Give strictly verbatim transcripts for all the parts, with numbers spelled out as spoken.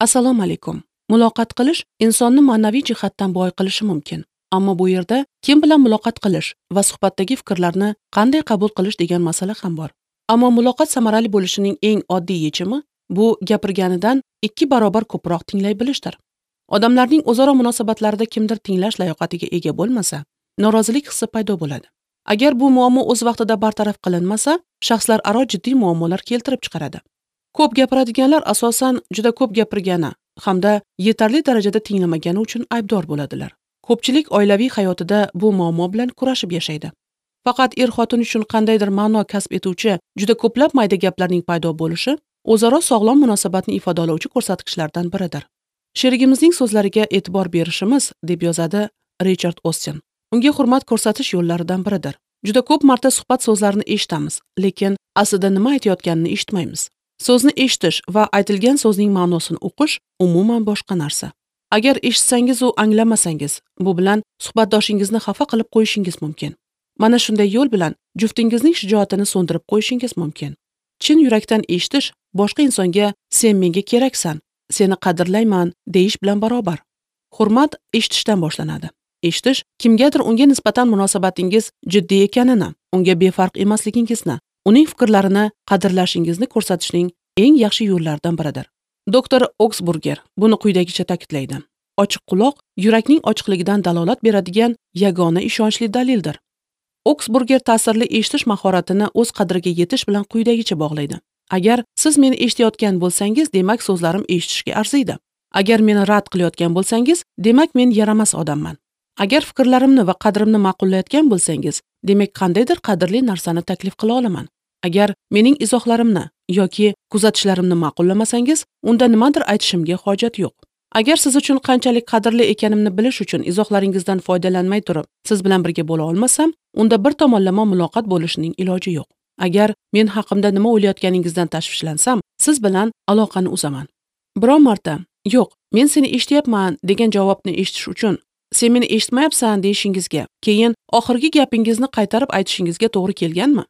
Assalomu alaykum. Muloqot qilish insonni ma'naviy jihatdan boy qilishi mumkin. Ammo bu yerda kim bilan muloqot qilish va suhbatdagi fikrlarni qanday qabul qilish degan masala ham bor. Ammo muloqot samarali bo'lishining eng oddiy yechimi bu gapirganidan ikki barobar ko'proq tinglay bilishdir. Odamlarning o'zaro munosabatlarida kimdir tinglash layoqatiga ega bo'lmasa, norozilik hissi paydo bo'ladi. Agar bu muammo o'z vaqtida bartaraf qilinmasa, shaxslararo jiddiy muammolar keltirib chiqaradi. Ko'p gapiradiganlar asosan juda ko'p gapirgani hamda yetarli darajada tinglamagani uchun aybdor bo'ladilar. Ko'pchilik oilaviy hayotida bu muammo bilan kurashib yashaydi. Faqat er-xotin uchun qandaydir ma'no kasb etuvchi juda ko'plab mayda gaplarning paydo bo'lishi o'zaro sog'lom munosabatni ifodalovchi ko'rsatkichlardan biridir. Sherigimizning so'zlariga e'tibor berishimiz, deb yozadi Richard Ostin, unga hurmat ko'rsatish yo'llaridan biridir. Juda ko'p marta suhbat so'zlarini eshitamiz, lekin aslida nima aytayotganini eshitmaymiz. So'zni eshitish va aytilgan so'zning ma'nosini o'qish umuman boshqa narsa. Agar eshitsangiz u anglamasangiz, bu bilan suhbatdoshingizni xafa qilib qo'yishingiz mumkin. Mana shunday yo'l bilan juftingizning shijoatini so'ndirib qo'yishingiz mumkin. Chin yurakdan eshitish boshqa insonga sen menga keraksan, seni qadrlayman deyish bilan barobar. Hurmat eshitishdan boshlanadi. Eshitish kimgadir unga nisbatan munosabatingiz jiddiy ekanini, unga befarq emasligingizni, uning fikrlarini qadrlashingizni ko'rsatishning eng yaxshi yo'llaridan biridir. Doktor Oksburger buni quyidagicha ta'kidlaydi. Ochiq quloq yurakning ochiqligidan dalolat beradigan yagona ishonchli dalildir. Oksburger ta'sirli eshitish mahoratini o'z qadriga yetish bilan quyidagicha bog'laydi. Agar siz meni eshitayotgan bo'lsangiz, demak so'zlarim eshitishga arziydi. Agar meni rad qilayotgan bo'lsangiz, demak men yaramas odamman. Agar fikrlarimni va qadrimni ma'qullayotgan bo'lsangiz, demak qandaydir qadrli narsani taklif qila olaman. Agar mening izohlarimni yoki kuzatishlarimni ma'qullamasangiz, unda nimadir aytishimga hojat yo'q. Agar siz uchun qanchalik qadrli ekanimni bilish uchun izohlaringizdan foydalanmay turib, siz bilan birga bo'la olmasam, unda bir tomonlama muloqot bo'lishining iloji yo'q. Agar men haqimda nima o'ylayotganingizdan tashvishlansam, siz bilan aloqani uzaman. Biron marta, yo'q, men seni eshityapman degan javobni eshitish uchun sen meni eshitmayapsan deyishingizga, keyin oxirgi gapingizni qaytarib aytishingizga to'g'ri kelganmi?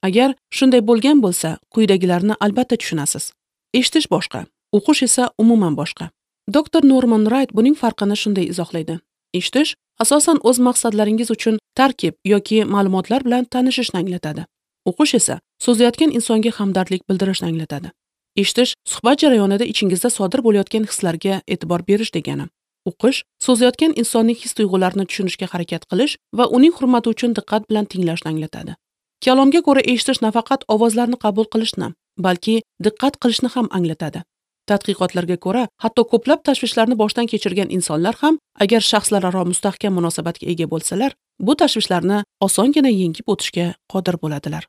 Agar shunday bo'lgan bo'lsa, quyidagilarni albatta tushunasiz. Eshitish boshqa, o'qish esa umuman boshqa. Doktor Norman Wright buning farqini shunday izohlaydi. Eshitish asosan o'z maqsadlaringiz uchun tarkib yoki ma'lumotlar bitanishishni tanishishni anglatadi. O'qish esa so'zlayotgan insonga hamdardlik bildirishni anglatadi. Eshitish suhbat jarayonida ichingizda sodir bo'layotgan hislarga e'tibor berish degani. O'qish so'zlayotgan insonning his-tuyg'ularini tushunishga harakat qilish va uning hurmati uchun diqqat bilan tinglashni anglatadi. Kalomga ko'ra eshitish nafaqat ovozlarni qabul qilishni, balki diqqat qilishni ham anglatadi. Tadqiqotlarga ko'ra, hatto ko'plab tashvishlarni boshdan kechirgan insonlar ham agar shaxslararo mustahkam munosabatga ega bo'lsalar, bu tashvishlarni osongina yengib o'tishga qodir bo'ladilar.